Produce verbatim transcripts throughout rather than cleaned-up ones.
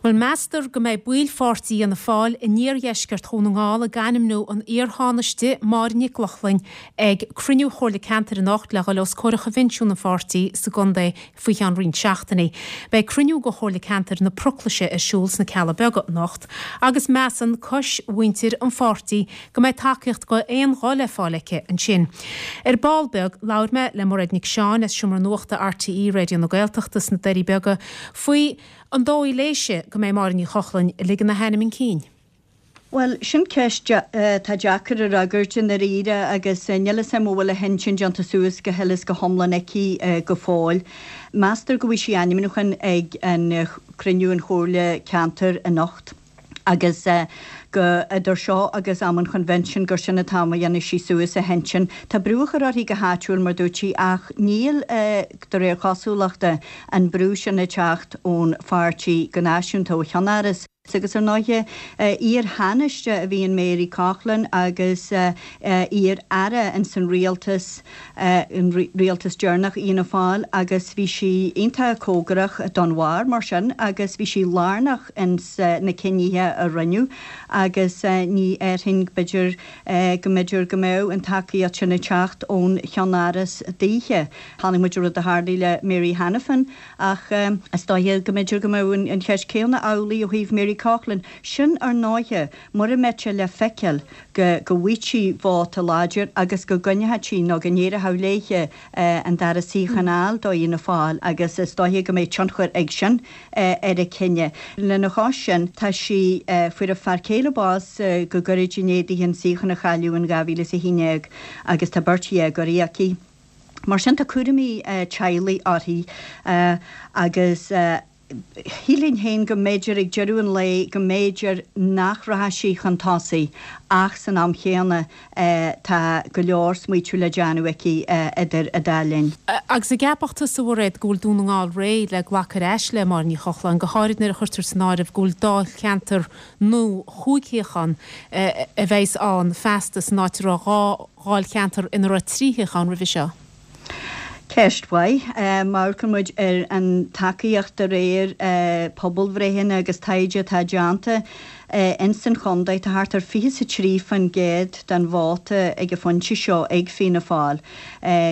Bhuel, meastar go mbeidh baill pháirtí Fhianna Fáil in iardheisceart Dhún na nGall ag ainmniú an iar-Thánaiste Máire Nic Lochlainn ag cruinniú Chomhairle Ceantair anocht le dhul os comhair Choinbhinsiún an pháirtí sa gcontae faoi cheann roinnt seachtainí. Beidh cruinniú de Chomhairle Ceantair na Proclaise ar siúl sna Cealla Beaga anocht agus measann cois mhuintir an pháirtí go mbeidh tacaíocht d'aon ghuth le fáil aici ansin. Ar ball beag, labhair mé le Mairéad Nic Seáin as Seomra Nuachta R T E Raidió na Gaeltachta sna Doirí Beaga faoi an dóigh léise go mbeidh Máire Ní Chochlainn ag ligean a hainm chun cinn. Well, sin ceist tá deacair a fhreagairt i ndáiríre agus níl a fhios agam an bhfuil a hintinn déanta suas go huile is go hiomlán aici go fóill. Meastar go bhfaighidh sí ainmniúchán ag an cruinniú an Chomhairle Ceantair anocht, agus go idir seo agus am an chonvention gur sin an t-am a dhéanfaidh sí suas a hintinn. Tá brú á chur uirthi go háitiúil, mar dúirt sí, ach níl, de réir cosúlachta, an brú sin ag teacht ón pháirtí go náisiúnta, ó cheannáras. Agus ar ndóighe, iar-Thánaiste a bhí in Mary Coughlan agus iar-aire in san rialtas, an rialtas deireanach Fhianna Fáil, agus bhí sí iontach cóngarach don bharr mar sin agus bhí sí lárnach ins na cinnithe a rinneadh, agus ní déarfainn, b'fhéidir, go mb'fhéidir go mbeadh an tacaíocht sin ag teacht ón cheannáras daoithe. Chonaic muid rud a tharlaigh le Mary Hanafin, ach is dóiche go mb'fhéidir go mbeadh an cheist céanna amhlaidh ó thaobh Mary Coughlan. Sin ar ndóighe mura mbeidh sé le feiceáil go go bhfaighidh sí vóta láidir agus go gcoinneoidh sí nó go n-éireoidh léithe an dara suíochán a fháil do Fhianna Fáil, agus is dóiche go mbeidh tionchar ag sin ar a cinneadh. Lena chois sin, tá sí, fuair a fear céile bás go gairid i ndiaidh di an suíochán a chailleadh in dhá mhíle is a haon déag agus tá beirt dhéagóirí aici. Mar sin, tá cúraimí teaghlaigh uirthi agus shílfinn féin go mb'fhéidir ag deireadh an lae go mb'fhéidir nach rachadh sí chun tosaigh, ach san am chéanna tá go leor smaoitiú le déanamh aici idir an dá linn. Agus an gceapfadh tusa, a Mhairéad, go bhfuil Dún na nGall réidh le glacadh ar ais le Máire Ní Chochláin, go háirid nuair a chuirtear san áireamh go bhfuil dáilcheantar nua chúig shuíochán a bheas ann feasta san áit a raibh dhá dháilcheantar ina raibh trí shuíochán roimhe seo? Ceist mhaith. Má amharcann muid ar an tacaíocht de réir pobalbhreitheanna agus taighde atá déanta ins an chontae, tá thart ar fiche is a trí faoin gcéad den vóta ag an phointe seo ag Fianna Fáil.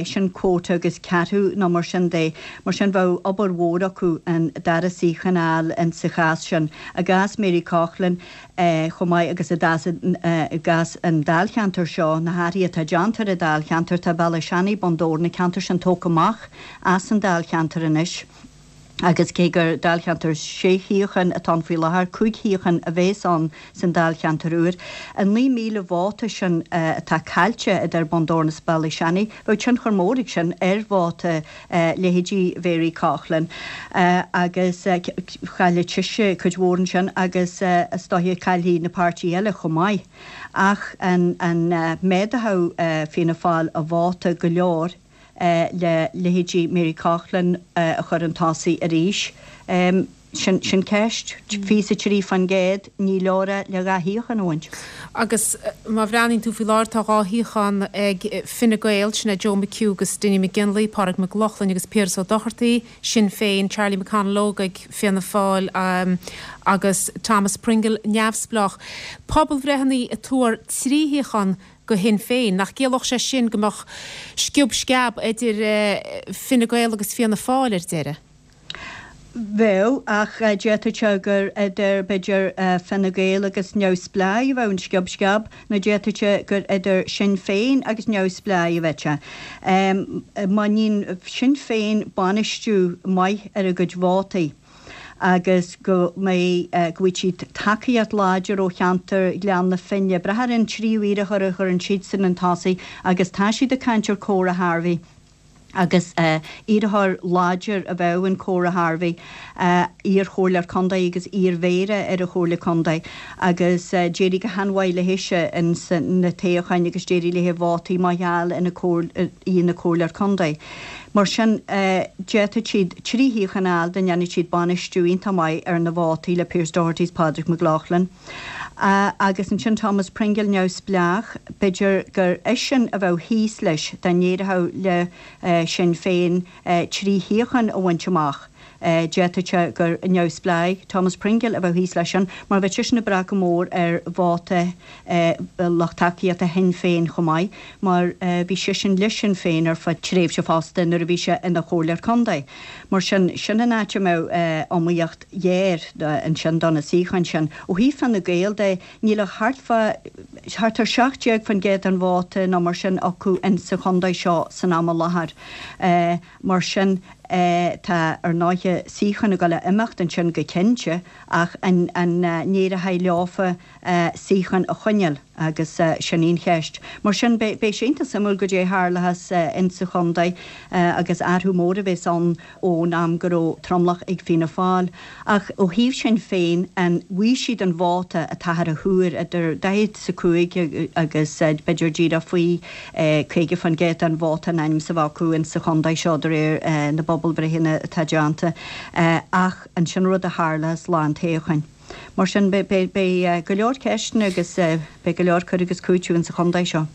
Sin quota agus ceathrú nó mar sin de. Mar sin, bheadh obair mhór acu an dara suíochán a fháil in sa chás sin. I gcás Mary Coughlan chomh maith agus i gcás an dáilcheantair seo, na hathruithe atá déanta ar an dáilcheantar, tá Bealach Seanaidh, Bun Dobhráin, na ceantair sin tógtha amach as an dáilcheantar anois, agus cé gur dáilcheantar sé shuíochán atá ann faoi láthair, cúig shuíochán a bheas ann san dáilcheantar úr. An naoi míle vóta sin atá caillte idir Bun Dobhráin is Bealach Seanaidh, bheadh tionchar mór ag sin ar vóta leithéidí Mhary Coughlan, agus chaillfeadh sise cuid mhór ansin agus is dóiche caillfidh na páirtithe eile chomh maith. Ach an méadódh Fianna Fáil a vóta go leor le leithéidí Mary Coughlan a chur chun tosaigh arís? Sin sin ceist. Fiche a trí faoin gcéad, ní leor é le dhá shuíochán a bhaint. Agus má bhreathnaíonn tú faoi láthair, tá dhá shuíochán ag Fine Gael, sin é Joe McHugh agus Dinny McGinley, Pádraig Mac Lochlainn agus Piaras Ó Dochartaigh, Sinn Féin, Charlie McConalogue ag Fianna Fáil agus Thomas Pringle neamhspleách. Pobalbhreitheanna ag tuar trí shuíochán go Shinn Féin. Nach gciallódh sé sin go mbeadh sciob sceab idir Fine Gael agus Fianna Fáil ar deireadh? Bheadh, ach d'fhéadfadh sé gur idir, b'fhéidir, Fine Gael agus neamhspleáigh a bheadh an sciob sceab, nó d'fhéadfadh sé gur idir Sinn Féin agus neamhspleáigh a bheadh sé. Má níonn Sinn Féin bainistiú maith ar a gcuid vótaí agus go mbeidh, go bhfaighidh siad tacaíocht láidir ó cheantar Ghleann na Finne, brath ar an tríú iarrthóir a chuireann siadsan chun tosaigh, agus tá siad ag caint ar Cora Harvey. Agus iarrthóir láidir a bheadh in Cora Harvey, iar-chomhairleoir contae agus iar-mhéara ar an Chomhairle Contae, agus d'éirigh go han-mhaith léithise ins na toghcháin agus d'éirigh léithe vótaí maith a fháil ina í ina comhairleoir contae. Mar sin, d'fhéadfadh siad trí shuíochán a fháil dá ndéanfadh siad bainistiú iontach maith ar na vótaí le Pearse Doherty is Pádraig Mac Lochlainn. Agus ansin Thomas Pringle neamhspleách, b'fhéidir gur eisean a bheadh thíos leis dá n-éireodh le Sinn Féin trí shuíochán a bhaint amach. D'fhéadfadh sé gur neamhspleách Thomas Pringle a bheadh thíos leis sin, mar bheadh seisean ag brath go mór ar vóta lucht tacaíochta Shinn Féin chomh maith, mar bhí seisean le Sinn Féin ar feadh tréimhse fosta nuair a bhí sé ina chomhairleoir contae. Mar sin, sin an áit a mbeadh iomaíocht ghéar ansin do na suíocháin sin. Ó thaobh Fine Gael de, níl ach thart fá, thart ar seacht déag faoin gcéad den vóta nó mar sin acu insa chontae seo san am i láthair. Mar sin, tá, ar ndóighe, suíocháin ag dul a imeacht ansin go cinnte ach an n-éireoidh leofa suíocháin a choinneáil agus sin í an cheist. Mar sin, beidh sé iontach suimiúil goidé a tharlóchas insa chontae agus athrú mór a bheas ann ón am go raibh tromlach ag Fianna Fáil. Ach ó thaobh Shinn Féin, an bhfaighidh siad an vóta atáthar a thuar, idir daichead is a cúig agus b'fhéidir díreach faoi caoga faoin gcéad den vóta in ainm is a bheith acu insa chontae seo de réir na bpobalbhreitheanna atá déanta. Ach an sin rud a tharlós lá an toghcháin. Mar sin, beidh go leor ceisteanna agus beidh go leor cur agus cúiteamh insa chontae seo.